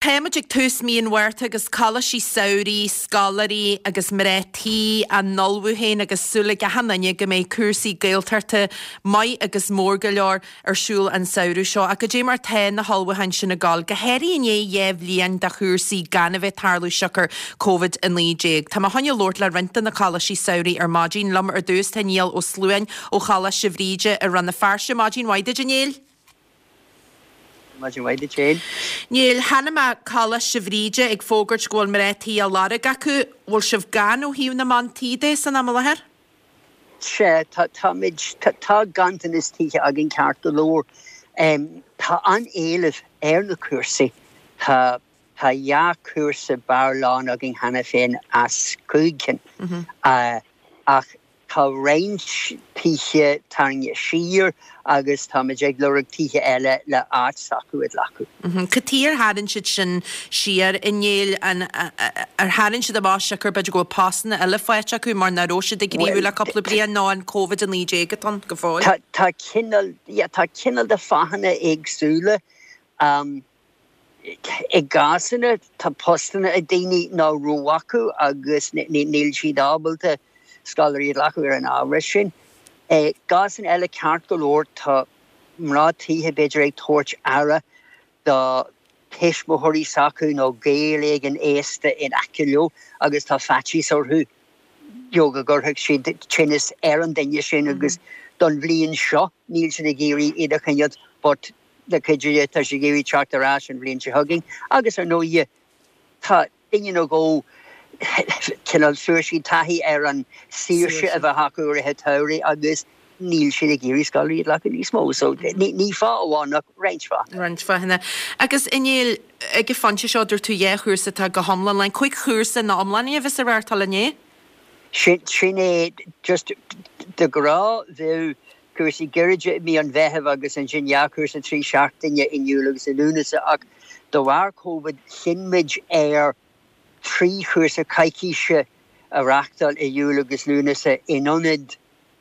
Táimid ag tús mí an Mhárta agus coláistí samhraidh, scoláirí agus mná tí á n-ullmhú féin agus súil ag achan duine go mbeidh cúrsaí Gaeltachta maith agus mór go leor ar siúl an samhradh seo. Ach goidé mar tá na hullmhúcháin sin ag gabháil, go háirithe i ndiaidh 2 bhliain de chúrsaí gan a bheith ag tarlú siocair Covid-19. Tá mé chun labhairt le roinnt de na coláistí samhraidh ar maidin. Liom ar dtús tá Niall Ó Sluain ó Choláiste Bhríde i Rann na Feirste. Maidin mhaith duit, a Néill. Maidin mhaith duit féin. Néill, chonaic mé Coláiste Bhríde ag fógairt go bhfuil mná tí á lorg acu. Bhfuil sibh gann ó thaobh na mban tí de san am i láthair? Sea, tá, táimid, tá ganntanas tithe againn ceart go leor. Tá an-éileamh ar na cúrsaí. Tá, tá dhá chúrsa barr lán againn cheana féin as 5 cinn. Ach Tá roinnt tithe tarraingthe siar agus táimid ag lorg tithe eile le áit s'acu a ghlacadh. Cad chuige ar tharraing siad sin siar, a Néill? An ar tharraing siad amach siocair b'fhéidir go bhfuil postanna eile faighte acu mar nach raibh siad ag gníomhú le cúpla bliain nó an Covid-19 atá ann go fóill? Tá cineál, yeah, tá cineál de fáthanna éagsúla. I gcásanna, tá postanna ag daoine nach raibh acu agus níl siad ábalta scoláirí a ghlacadh ar an ábhar sin. I gcásanna eile, ceart go leor, tá mná tithe b'fhéidir ag tabhairt aire do thuismitheoirí s'acu nó gaol éigin aosta in aice leo agus tá faitíos orthu you know go gcuirfeadh siad tinneas ar an duine sin agus don bhliain seo níl siad ag iarraidh iad a choinneáil but le cuidiú Dé, tá siad ag iarraidh teacht ar ais an bhliain seo chugainn agus ar ndóighe tá duine nó dhó cineál fuair siad taithí ar an saoirse a bheith acu i rith an tsamhraidh agus níl siad ag iarraidh scoláirí a ghlacadh níos mó. So ní fáth amháin ach roinnt fáthanna. Roinnt fáthanna. Agus a Néill, ag an phointe seo dúirt tú dhá chúrsa atá go hiomlán lán, cúig chúrsa ina iomláine a bheas á reáchtáil an ea? Sin é, just de ghnáth bheadh cúrsaí gairide i mí an Mheithimh agus ansin dhá chúrsa 3 seachtaine in Iúil agus i Lúnasa ach de bharr Covid chinn muid ar 3 chúrsa coicíse a reáchtáil i Iúil agus Lúnasa in ionad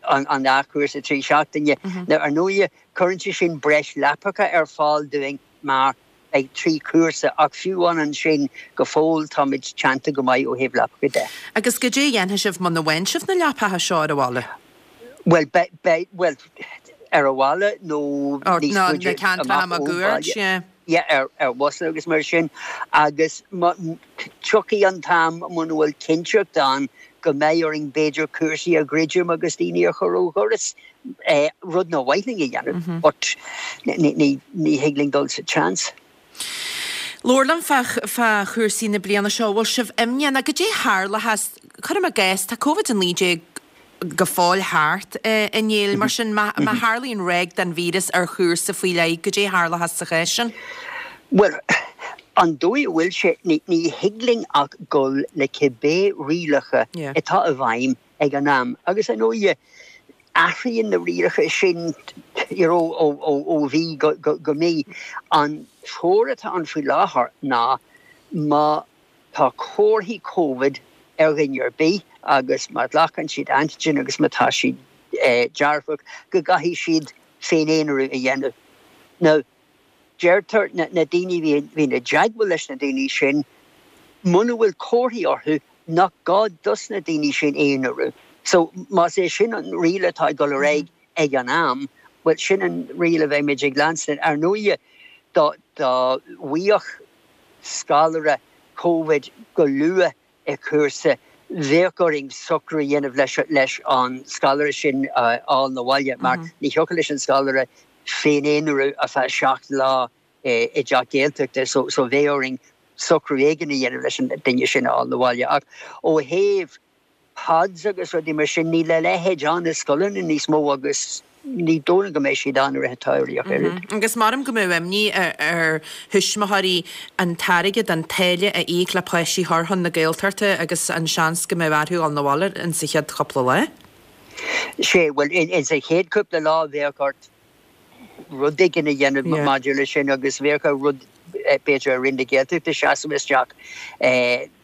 an dá chúrsa 3 seachtaine. Now ar ndóighe cuireann sé sin breis leapacha ar fáil dúinn mar beidh 3 chúrsa ach fiú amháin ansin go fóill táimid teannta go maith ó thaobh leapacha de. Agus goidé a dhéanfaidh sibh muna bhfaigheann sibh na leapacha seo ar an bhaile? Bhuel, beidh, bhuel, ar an bhaile nó níos faide amach ón baile. Yeah, ar, ar bhusanna agus mar sin. Agus má, tiocfaidh an t-am muna bhfuil cinnteacht ann go mbeidh orainn b'fhéidir cúrsaí a dhruidim agus daoine a chur ó dhoras, rud nár mhaith linn a dhéanamh, but ní, ní, ní thig linn dul sa tseans. Labhair liom fá, fá chúrsaí na bliana seo, bhfuil sibh imníoch nó goidé a tharlóchas, cuirim i gcás, tá Covid-19 go fóill thart, a Néill, mar sin má tharlaíonn ráig den víreas ar chúrsa faoi leith, goidé a tharlóchas sa chás sin? Bhuel, an dóigh a bhfuil sé, ní thig linn ach dul le cibé rialacha atá i bhfeidhm ag an am. Agus ar ndóighe, athraíonn na rialacha sin you know ó mhí go mí. An treoir atá ann faoi láthair ná má Tá comharthaí Covid ar dhuine ar bith agus má ghlacann siad antigen agus má tá siad dearfach go gcaithfidh siad féin-aonarú a dhéanamh. Now, deirtear na daoine a bhíonn i dteagmháil leis na daoine sin, muna bhfuil comharthaí orthu, nach gá dos na daoine sin aonarú. So, más é sin an riail atá ag dul ar aghaidh ag an am, bhuel, sin an riail a bheimid ag leanstan. Ar ndóighe, dá bhfaigheadh scoláire Covid go luath i chúrsa, bheadh orainn socrú a dhéanamh leis an scoláire sin a fháil 'na bhaile mar ní thiocfadh leis an scoláire féin-aonarú ar feadh 7 lá i dteach Gaeltachta so so bheadh orainn socrú éigin a dhéanamh leis an duine sin a fháil 'na bhaile. Ach ó thaobh pods agus rudaí mar sin, níl a leithéid ann i scoileanna níos mó agus ní dóigh liom go mbeidh siad ann i rith an tsamhraidh ach oiread. Agus maram go mbeadh imní ar thuismitheoirí an t-airgead, an táille a íoc le páistí a chur chun na Gaeltachta agus an seans go mbeadh orthu dhul 'na bhaile in sa chéad chúpla lá. Sea, bhuel, in sa chéad chúpla lá bheadh ort rud éigin a dhéanamh maidir leis sin agus bheadh ar rud b'fhéidir ar Roinn na Gaeltachta seasamh isteach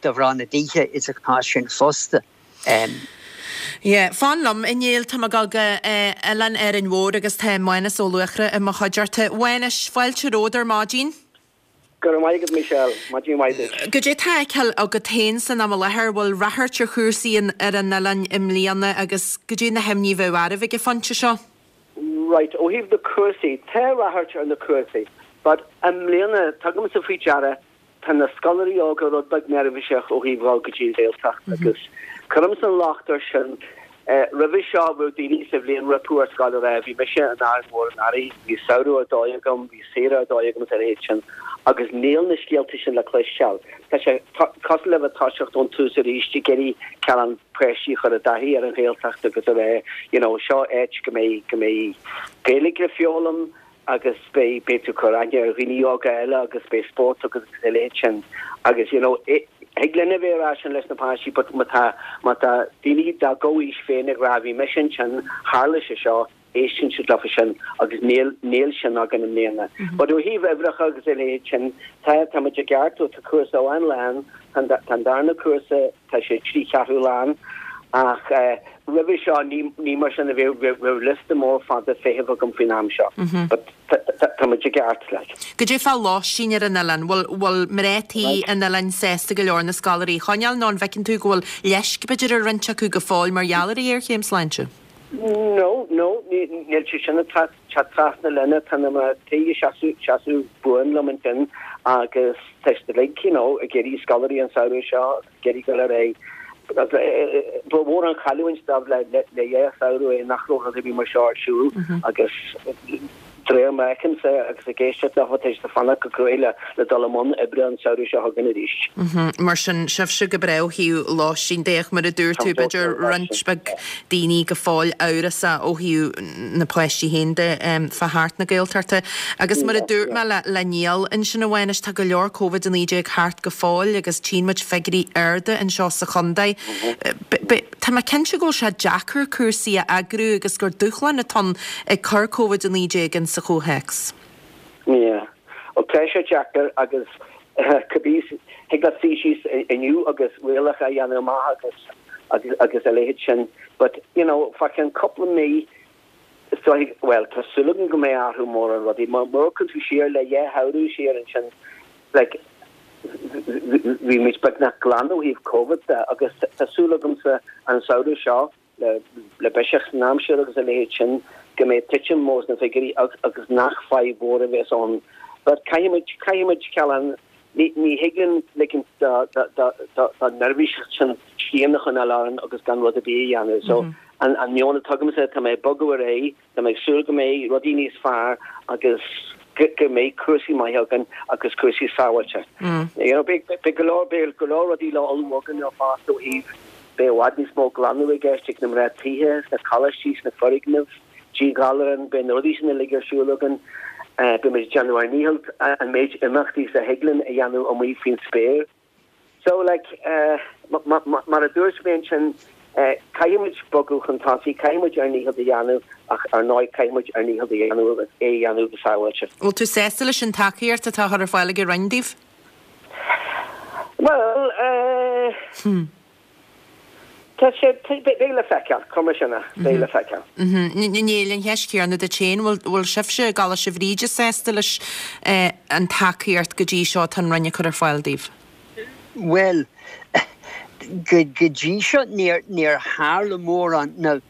do mhná na dtithe insa chás sin fosta. Yeah. Fan liom, a Néill, tá mé ag dul go Oileán Árainn Mhór agus tá Mánus Ó Luachra i mo chuideachta. Mhánais, fáilte romhat ar maidin. Go raibh maith agat Michelle, maidin mhaith duit. Goidé tá á fheiceáil agat féin san am i láthair, bhfuil ráchairt ar chúrsaí ar an oileán i mbliana agus goidé na himní a bheadh oraibh ag an phointe seo? Right, ó thaobh na cúrsaí, tá ráchairt ar na cúrsaí but i mbliana, tugaimse faoi deara, tá na scoláirí óga rud beag neirbhíseach ó thaobh dhul go dtí an Ghaeltacht agus cuirimse an locht air sin. Roimhe seo bheadh daoine sa bhliain rompu ar scoil ag rá bhí mise in Árainn Mhór anuraidh, bhí samhradh ar dóigh agam, bhí saoire ar dóigh agam is a leithéid sin agus níl na scéalta sin le cloisteáil. Tá sé cosúil le bheith toiseacht ón tús arís ag iarraidh cineál páistí a chur i dtaithí ar an Ghaeltacht agus a rá you know seo áit go mbeidh go mbeidh Gaeilge le foghlaim, agus beidh, beidh tú ag cur aithne ar dhaoine óga eile agus beidh spórt agus a leithéid sin agus you know thig linn a bheith ag rá sin leis na páistí but má tá, má tá daoine dá gcomhaois féin ag rá bhí mise ansin, tharla sé seo, éisteann siad leofa sin agus níl, níl sin againn i mbliana. But ó thaobh uimhreacha agus a leithéid sin, tá, tá muid i gceart, tá cúrsa amháin lán, tá an, tá an darna cúrsa, tá sé trí cheathrú lán ach roimhe seo ní mar sin a bheadh, bheadh liosta mór fada feithimh agam faoin am seo but tá muid i gceart like. Goidé fá lóistín ar an oileán, bhfuil bhfuil mná tí an oileáin sásta go leor na scoláirí a choinneáil nó an bhfeiceann tú go bhfuil leisc b'fhéidir ar roinnt acu go fóill mar gheall ar an ghéarchéim sláinte? No, no, níl sé sin ag teacht trasna linne, tá na mná tí ag seasamh seasamh buan liom ansin agus tá siad uilig, you know, ag iarraidh scoláirí an samhradh seo agus ag iarraidh dul ar aghaidh. Ba mhór an chailliúint dóibh le le dhá samhradh é nach raibh rud ar bith mar seo ar siúl agus de réir mar a fheicimse agus ag éisteacht leo tá siad ag fanacht go cruaidh le le dul i mbun oibre an samhradh seo chugainn arís. Mar sin, sibhse go breá ó thaobh lóistín de ach mar a dúirt tú, b'fhéidir roinnt beag daoine go fóill amhrasach ó thaobh na páistí féin de fá theacht na Gaeltachta. Agus mar a dúirt mé le le Niall ansin a Mhánais, tá go leor Covid-19 thart go fóill agus tchíonn muid figiúirí arda anseo sa chontae. Tá mé cinnte go bhfuil sé deacair cúrsaí a eagrú agus gur dúshlán atá ann ag cur Covid-19 in sa chomhthéacs. Yeah. Bhuel, tá sé deacair agus cibé, thig leat suí síos inniu agus rialacha a dhéanamh amach agus agus agus a leithéid sin but, you know, fá cheann cúpla mí is dóigh, bhuel, tá súil agam go mbeidh athrú mór ar rudaí. Má amharcann tú siar le dhá shamhradh siar ansin, like, bhí muid beagnach glan ó thaobh Covid de agus tá súil agamsa an samhradh seo, le biseach san aimsir agus a leithéid sin, go mbeidh titim mór sna figiúirí agus nach fadhb mhór a bheas ann. But caithfidh muid, caithfidh muid, cineál, ní, ní thig linn ligint don neirbhíseacht sin srian a choinneáil orainn agus gan rud ar bith a dhéanamh. So, an, an meon atá agamsa, tá mé ag bogadh ar aghaidh, Tá mé ag súil go mbeidh rudaí níos fearr agus go mbeidh cúrsaí maithe againn agus cúrsaí sábháilte. You know, beidh go leor, beidh go leor rudaí le ullmhú againn fosta ó thaobh, beidh i bhfad níos mó glanadh i gceist ag na mná tithe, sna coláistí, sna foirgnimh, díghalarán, beidh na rudaí sin uilig ar siúl againn. Beidh muid ag déanamh ár ndícheall an méid imeachtaí is a thig linn a dhéanamh amuigh faoin spéir. So, like, mar a dúirt mé ansin, caithfidh muid bogadh chun tosaigh, caithfidh muid ár ndícheall a dhéanamh ach ar ndóigh caithfidh muid ár ndícheall a dhéanamh agus é a dhéanamh go sábháilte. Bhfuil tú sásta leis an tacaíocht atá á chur ar fáil ag an Roinn daoibh? Bhuel, eh. Tá sé, beidh le feiceáil, cuir mar sin é, beidh le feiceáil. Níl an cheist chéanna duit féin, bhfuil, bhfuil sibhse i gColáiste Bhríde sásta leis an tacaíocht go dtí seo atá an Roinn ag cur ar fáil daoibh? Bhuel, go, go dtí seo níor, níor tharla mórán. Now,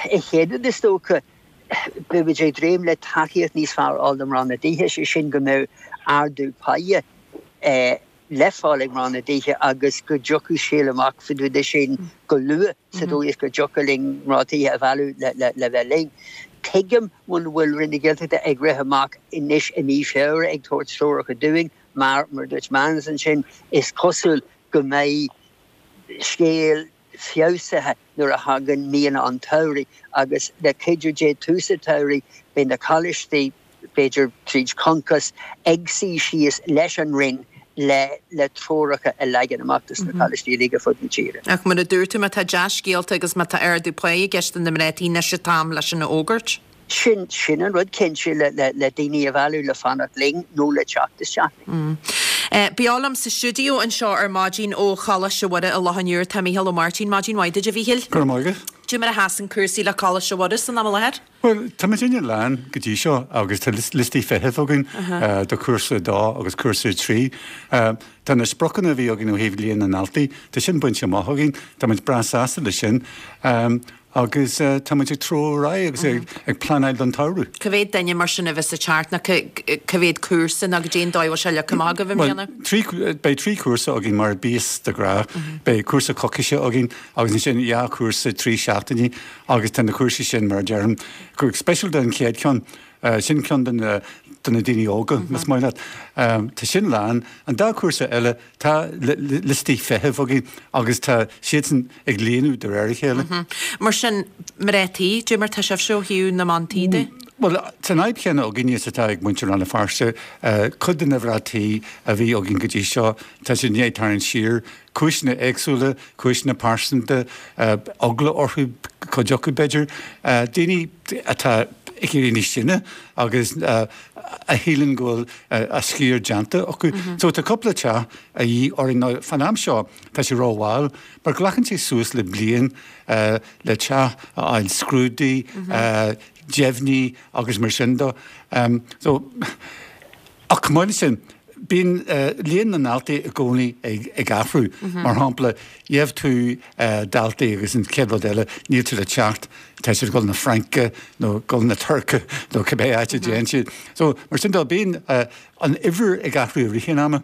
an chéad rud is dócha, beidh muid ag dréim le tacaíocht níos fearr a fháil do mná na dtithe, sé sin go mbeadh ardú páighe le fáil ag mná na dtithe agus go dtiocfadh scéal amach faoin rud sin go luath sa dóigh is go dtiocfadh linn mná tithe a mhealladh le bheith linn. Tuigim muna bhfuil Roinn na Gaeltachta ag rith amach anois i mí Feabhra ag tabhairt treoracha dúinn mar, mar a dúirt Manus ansin, is cosúil go mbeidh scéal feabhsaithe nuair a thagann míonna an tsamhraidh agus le cuidiú Dé tús an tsamhraidh beidh na coláistí, b'fhéidir tríd Concos, ag suí síos leis an Roinn le le treoracha a leagan amach dos na coláistí uilig ar fud na tíre. Ach mar a dúirt tú, má tá dea-scéalta agus má tá ardú páí i gceist do na mná tí, anois an t-am leis sin a fhógairt. Sin, sin an rud cinnte le, le, le daoine a mhealladh le fanacht linn nó le teacht isteach linn. Beo liom sa stiúideo anseo ar maidin ó Choláiste Mhuire i Loch an Iúir tá Mícheál Ó Máirtín. Maidin mhaith duit a Mhíchíl. Go raibh maith agat. Cad é mar a sheasann cúrsaí le Coláiste Mhuire san am i láthair? Bhuel, tá muidinne lán go dtí seo agus tá liostaí feithimh againn do chúrsa 2 agus cúrsa 3. Tá na spriocanna a bhí againn ó thaobh líon na ndaltaí, tá sin bainte amach againn, tá muid breá sásta leis sin agus tá muid ag treabhadh ar aghaidh agus ag pleanáil don tsamhradh. Cá mhéad duine mar sin a bheas ag teacht nó cá mhéad cúrsa nó cad é an dóigh a bhfuil sé leagtha amach agaibh i mbliana? Bhuel, beidh trí chúrsa againn mar a bíos de ghnáth. Beidh cúrsa coicíse againn agus ansin dhá chúrsa trí seachtainí. Agus tá na cúrsaí sin, mar a deirim, go speisialta an chéad cheann, sin ceann de na do na daoine óga, más maith leat. Tá sin lán. An dá chúrsa eile, tá liostaí feithimh againn agus tá siadsan ag líonadh de réir a chéile. Mar sin, mná tí, cad é mar tá sibhse ó thaobh na mban tí de? Bhuel, tá an fhadhb chéanna againne is atá ag muintir Rann na Feirste. Cuid de na mná tí a bhí againn go dtí seo, tá siad i ndiaidh tarraingt siar. Cúiseanna éagsúla, cúiseanna pearsanta, eagla orthu, cuid acu b'fhéidir, daoine atá ag éirí níos sine agus a shíleann go bhfuil a sciar déanta acu. So tá cúpla teach a dhíth orainn. Now fán am seo tá sé rómhall mar glacann sé suas le bliain le teach a fháil scrúdaithe, deimhnithe agus mar sin de. So ach chomh maith leis sin, Bíonn líon na ndaltaí i gcónaí ag athrú. Mar shampla, gheobhaidh tú daltaí agus an chéad rud eile, níl siad ag teacht, tá siad ag dul na Fraince nó ag dul na Tuirce nó cibé áit a dtéann siad. So, mar sin de, bíonn an uimhir ag athrú i rith an ama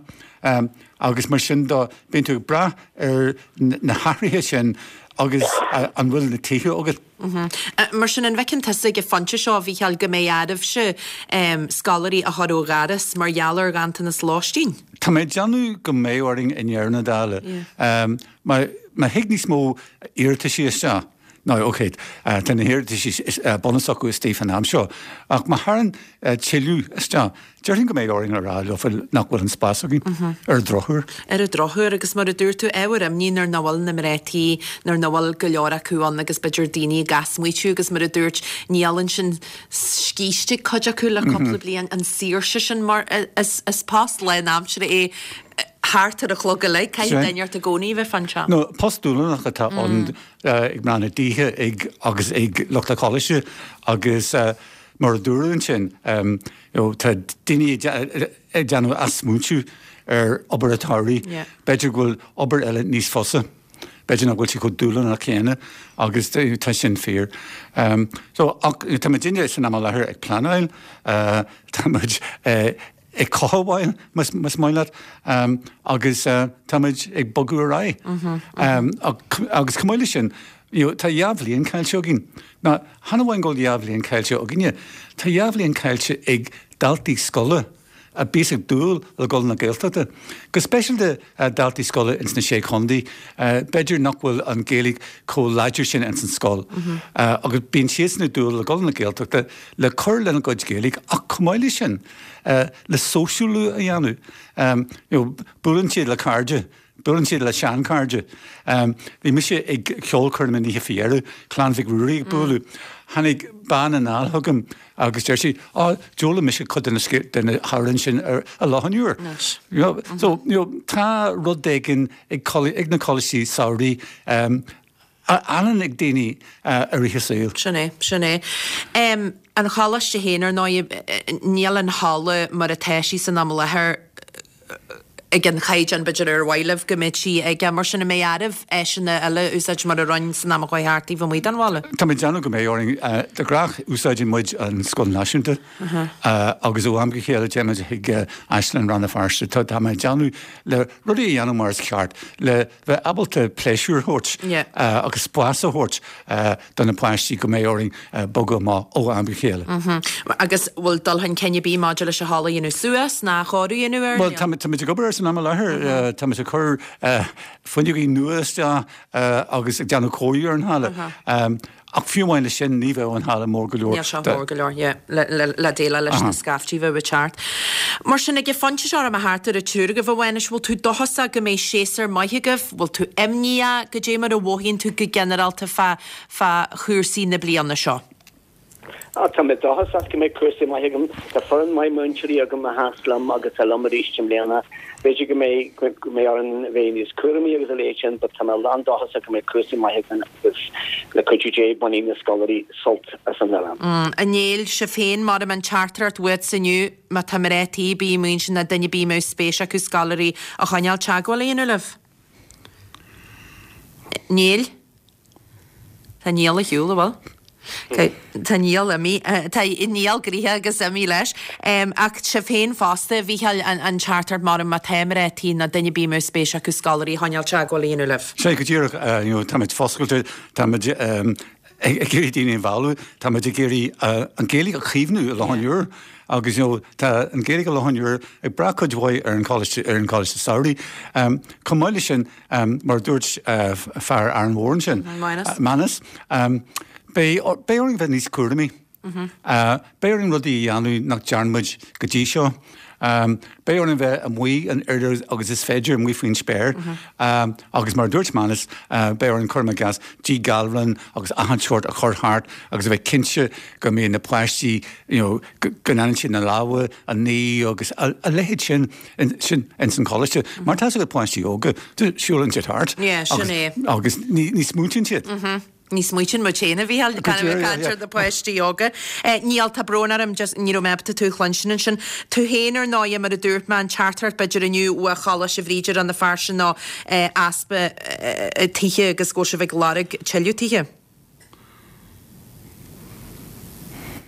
agus mar sin de, bíonn tú ag brath ar na hathruithe sin agus an bhfuil na tithe agat. Mar sin, an bhfeiceann tusa ag an phointe seo, a Mhícheáil, go mbeidh oraibhse scoláirí a chur ó dhoras mar gheall ar ghanntanas lóistín? Tá mé ag déanamh go mbeidh orainn i ndeireadh na dála. Má thig níos mó iarrataisí isteach, now ok, tá na hiarrataisí bunúsach istigh fán am seo, ach má thagann tuilleadh isteach, Déarfainn go mbeidh orainn a rá leofa nach bhfuil an spás againn, ar an drochuair. Ar an drochuair, agus mar a dúirt tú, ábhar imní nuair nach bhfuil na mná tí, nuair nach bhfuil go leor acu ann agus b'fhéidir daoine ag easmaoitiú agus mar a dúirt níl ansin scíste ag cuid acu le cúpla bliain, an saoirse sin mar is post lánaimseartha é thart ar an chlog uilig, caithfidh duine ort i gcónaí a bheith fán teach. No, post dúshlánach atá ann ag mná na dtithe ag agus ag lucht an choláiste agus mar a dúradh ansin, You know, tá daoine ag déanamh athsmaointiú ar obair an tsamhraidh. B'fhéidir go bhfuil obair eile níos fusa. B'fhéidir nach bhfuil sé chomh dúshlánach céanna agus tá sin fíor. So, ach tá muidinne san am i láthair ag pleanáil, tá muid ag cothabháil, más maith leat, agus tá muid ag bogadh ar aghaidh. Agus chomh maith leis sin, You know, tá dhá bhliain caillte againn. Now, chan amháin go bhfuil dhá bhliain caillte againne, tá dhá bhliain caillte ag daltaí scoile a bíos ag dúil le dul na Gaeltachta. Go speisialta daltaí scoile ins na Sé Chontae, b'fhéidir nach bhfuil an Ghaeilge chomh láidir sin ins an scoil. Agus bíonn siadsan ag dúil le dul na Gaeltachta le cur lena gcuid Gaeilge ach chomh maith leis sin, le sóisialú a dhéanamh. You know, buaileann siad le cairde Buaileann siad le seanchairde. Bhí mise ag ceolchoirm an oíche faoi dheireadh, Clann Mhic Ruairí ag bualadh. Tháinig bean anall chugam agus deir sí, Á, d'fhoghlaim mise cuid de na de na hamhráin sin ar Loch an Iúir. You know, so, you know, tá rud éigin ag ag na coláistí samhraidh a fhanann ag daoine i rith a saoil. Sin é, sin é. An choláiste féin, ar ndóigh, níl an halla mar atá sí san am i láthair, ag an chaighdeán b'fhéidir ar mhaith libh go mbeadh sí aige. Mar sin, an mbeidh oraibh áiseanna eile a úsáid mar a rinne san am a chuaigh thart taobh amuigh den bhaile? Tá mé ag déanamh go mbeidh orainn. De ghnáth úsáideann muid an Scoil Náisiúnta agus ó am go chéile téann muid chuig Áislann Rann na Feirste. Tá mé ag déanamh le rudaí a dhéanamh mar is ceart, le bheith ábalta pléisiúr a thabhairt agus spás a thabhairt do na páistí go mbeidh orainn bogadh amach ó am go chéile. Agus bhfuil dul chun cinn ar bith maidir leis an halla a dhéanamh suas ná cóiriú a dhéanamh air? Bhuel, táimid ag obair air san am i láthair. Táimid ag cur fuinneogaí nua isteach agus ag déanamh cóiriú ar an halla. Ach fiú amháin leis sin, ní bheadh an halla mór go leor. Níl sé mór go leor, yeah, le déileáil leis na scaiftí a bheadh ag teacht. Mar sin, ag an phointe seo, raibh mé thart ar an triúr agaibh a Mhánuis, bhfuil tú dóchasach go mbeidh séasúr maith agaibh? Bhfuil tú imníoch? Goidé mar a mhothaíonn tú go ginearálta fá, fá chúrsaí na bliana seo? Ah, tá mé dóchasach go mbeidh cúrsaí maith agam. Tá foireann maith múinteoirí agam a sheas liom agus atá liom arís i mbliana. B'fhéidir go mbeidh, go mbeidh orainn a bheith níos cúramaí agus a leithéid sin but tá mé lán dóchasach go mbeidh cúrsaí maith againn agus le cuidiú Dé bainfidh na scoláirí sult as an oileán. A Néill, sibh féin, maram an teachtaireacht uait inniu, má tá mná tí ar bith amuigh ansin nó duine ar bith a mbeadh spéis acu scoláirí a choinneáil, teagmháil a dhéanamh libh. Néill? Tá Niall ar shiúl, an bhfuil? Tá Niall imithe, tá Niall gnoitheach agus imithe leis. Ach sibh féin fosta, a Mhícheáil, an teachtaireacht maram má tá mná tí nó duine ar bith a mbeadh spéis acu scoláirí a choinneáil teagmháil a dhéanamh libh. Sea, go díreach, you know, táimid foscailte, táimid ag iarraidh daoine a mhealladh, táimid ag iarraidh an Ghaeilge a chaomhnú i Loch an Iúir agus you know, tá an Ghaeilge i Loch an Iúir ag brath cuid mhaith ar an choláiste, ar an choláiste samhraidh. Chomh maith leis sin, Mar a dúirt fear Árainn Mhór ansin, Manus, beidh orainn bheith níos cúramaí. Beidh orainn rudaí a dhéanamh nach dtearn muid go dtí seo. Beidh orainn bheith amuigh an oiread agus is féidir, amuigh faoin spéir. Agus mar a dúirt Manus, beidh orainn, cuirim i gcás, díghalrán agus achan seort a chur thart agus a bheith cinnte go mbíonn na páistí, you know, go ndéanann siad na lámha a ní agus a leithéid sin. sin ins an choláiste. Mar tá a fhios agat páistí óga, siúlann siad thart. Yeah, sin é. Agus ní ní smaointíonn siad. Ní smaoitíonn muid féin a Mhícheáil, gan a bheith ag caint ar na páistí óga. Niall, tá brón orm, just ní raibh mé ábalta tú a chluinstin ansin. Tú féin ar ndóighe, mar a dúirt mé, an teachtaireacht b'fhéidir inniu ó Choláiste Bhríde Rann na Feirste ná easpa tithe agus go bhfuil sibh ag lorg tuilleadh tithe.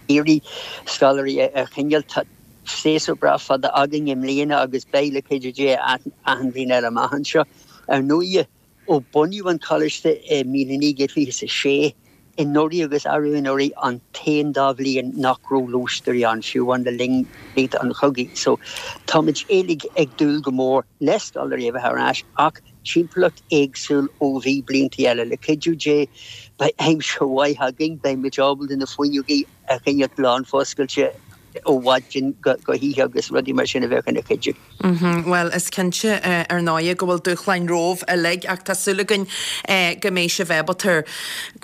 iarraidh scoláirí a choinneáil. Tá séasúr breá fada againn i mbliana agus beidh le cuidiú Dé achan bhliain eile amach anseo. Ar ndóighe, ó bunaíodh an coláiste i 1926, anuraidh agus arú anuraidh an t-aon dá bhliain nach raibh lóistéirí ann, fiú amháin le linn blianta an chogaidh. So, táimid uilig ag dúil go mór le scoláirí a bheith ar ais ach timpeallacht éagsúil ó bhí blianta eile. Le cuidiú Dé, beidh aimsir mhaith againn, beidh muid ábalta na fuinneogaí a choinneáil lánfhoscailte ó mhaidin go hoíche agus rudaí mar sin a bheadh ina chuidiú. Bhuel, is cinnte ar ndóighe go bhfuil dúshláin romhaibh uilig ach tá súil againn go mbeidh sibh ábalta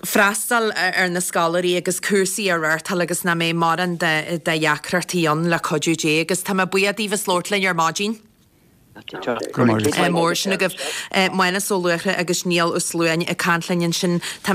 freastal ar na scoláirí agus cúrsaí a reáchtáil agus nach mbeidh mórán de dheacrachtaí ann le cuidiú Dé agus tá mé buíoch daoibh as labhairt linn ar maidin. Go raibh maith Mór sin agaibh. Mánas Ó Luachra agus Niall Ó Sluain ag caint linn ansin. Tá.